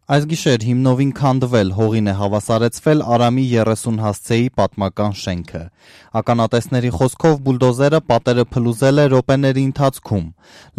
Այս գիշեր հիմնովին քանդվել, հողին է հավասարեցվել Արամի 30 հասցեի պատմական շենքը։ Ականատեսների խոսքով բուլդոզերը պատերը փլուզել է րոպեների ընթացքում։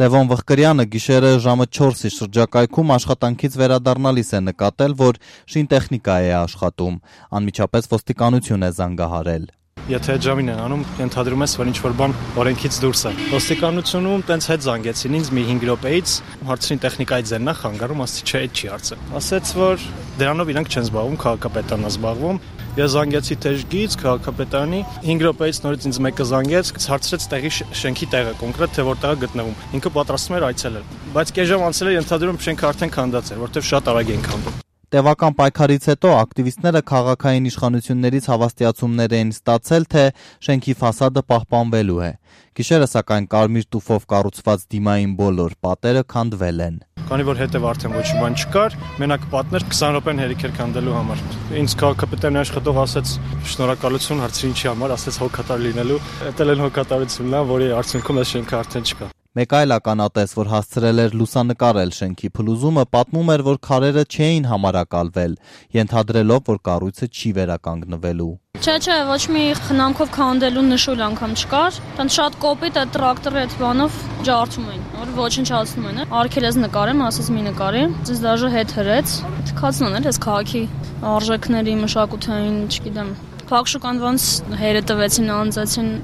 Լևոն Վղկրյանը գիշերը ժամը 4-ի շրջակայքում աշխատանքից վերադառնալիս է նկատել, որ շինտեխնիկա է աշխատում։ Անմիջապես ոստիկանություն է զանգահարել։ Եթե այդ ժամին են անում, ենթադրում ես, որ ինչ-որ բան օրենքից դուրս է։ Ոստիկանությունում տենց հետ զանգեցին ինձ մի 5 րոպեից, հարցրին տեխնիկայից են նախ հանգարում, ասացի չէ, այդ չի հարցը։ Ասեց, որ դրանով իրանք չեն զբաղվում, քաղաքապետարն է զբաղվում։ Ես զանգեցի Թեժգից, քաղաքապետարանի, 5 րոպեից նորից ինձ մեկը զանգեց, հարցրեց տեղի շենքի տեղը, կոնկրետ թե որտեղ է գտնվում։ Ինքը պատրաստվում էր այցելել։ Բայց կես ժամ անցել էր, ենթադրում շենքը արդեն քանդած էր, որտեղ շատ արագ են քանդում։ Տևական պայքարից հետո ակտիվիստները քաղաքային իշխանություններից հավաստիացումներ էին ստացել, թե շենքի ֆասադը պահպանվելու է։ Գիշերը սակայն կարմիր տուֆով կառուցված դիմային բոլոր պատերը քանդվել են։ Քանի որ հետև արդեն ոչ մի բան չկար, մենակ պատներ 20 րոպեն հերիք էր քանդելու համար։ Ինձ քաղաքապետարանի աշխատող ասեց շնորհակալություն, հարցրի ինչի համար, ասեց հոգատար լինելու։ Դա էլ հոգատարությունն է, որի արդյունքում այս շենքը արդեն չկա։ Մեկ այլ ականատես, որ հասցրել էր լուսանկարել շենքի փլուզումը, պատմում էր, որ քարերը չէին համարակալվել, ենթադրելով, որ կառույցը չի վերականգնվելու։ Չէ, ոչ մի խնամքով քանդելու նշույլ անգամ չկար։ Տան շատ կոպիտ է տրակտորի այդ բանով ջարդում էին, որ ոչնչացնում են։ Արգելես նկարեմ, ասես մի նկարի, ձեզ դաժե հետ հրեց։ Թքացնան էր այս քաղաքի արժեքների, մշակութային, չգիտեմ, փակշուկանվանց հերը տվեցին, անձացին։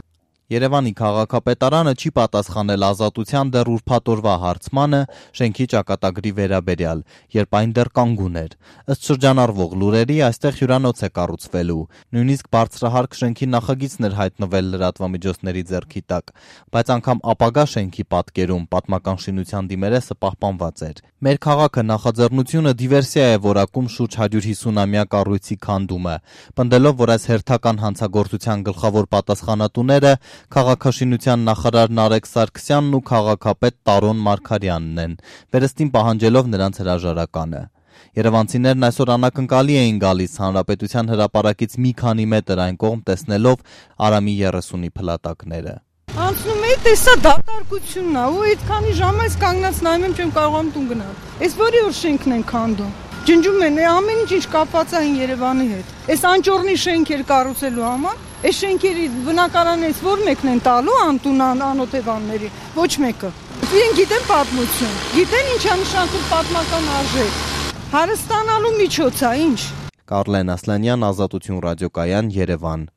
Երևանի քաղաքապետարանը չի պատասխանել Ազատության դեռ ուրբաթ օրվա հարցմանը շենքի ճակատագրի վերաբերյալ, երբ այն դեռ կանգուն էր։ Ըստ շրջանառվող լուրերի, այստեղ հյուրանոց է կառուցվելու, նույնիսկ բարձրահարկ շենքի նախագիծն էր հայտնվել լրատվամիջոցների ձեռքի տակ, բայց անգամ ապագա շենքի պատկերում պատմական շինության դիմերեսը պահպանված էր։ Մեր քաղաքը նախաձեռնությունը դիվերսիա է որակում շուրջ 150-ամյա կառույցի քանդումը, պնդելով, որ այս հերթական հանցագործության գլխավոր պատասխանատուները քաղաքաշինության նախարար Նարեկ Սարգսյանն ու քաղաքապետ Տարոն Մարգարյանն են, վերստին պահանջելով նրանց հրաժարականը։ Երևանցիներն այսօր անակնկալի էին գալիս Հանրապետության հրապարակից մի քանի մետր այն կողմ տեսնելով Արամի 30-ի փլատակները։ Անցնում էի, տեսա դատարկությունն է, ու այդքանի ժամ այս կանգնած նայում եմ, չեմ կարողանում տուն գնալ։ Այս որի որ շենքն են քանդում։ Ջնջում են, ամեն ինչ կապված է Երևանի հետ։ Այս անճոռնի շենքեր կառուցելու համար, այս շենքերի բնակարաններից որ մեկն են տալու անտուն անօթևանների, ոչ մեկը։ Իրենք գիտեն պատմություն, գիտեն ինչա նշանակում պատմական արժեք։ Հարստանալու միջոց է, ինչ։ Կարլեն Ասլանյան, Ազատություն ռադիոկայան, Երևան։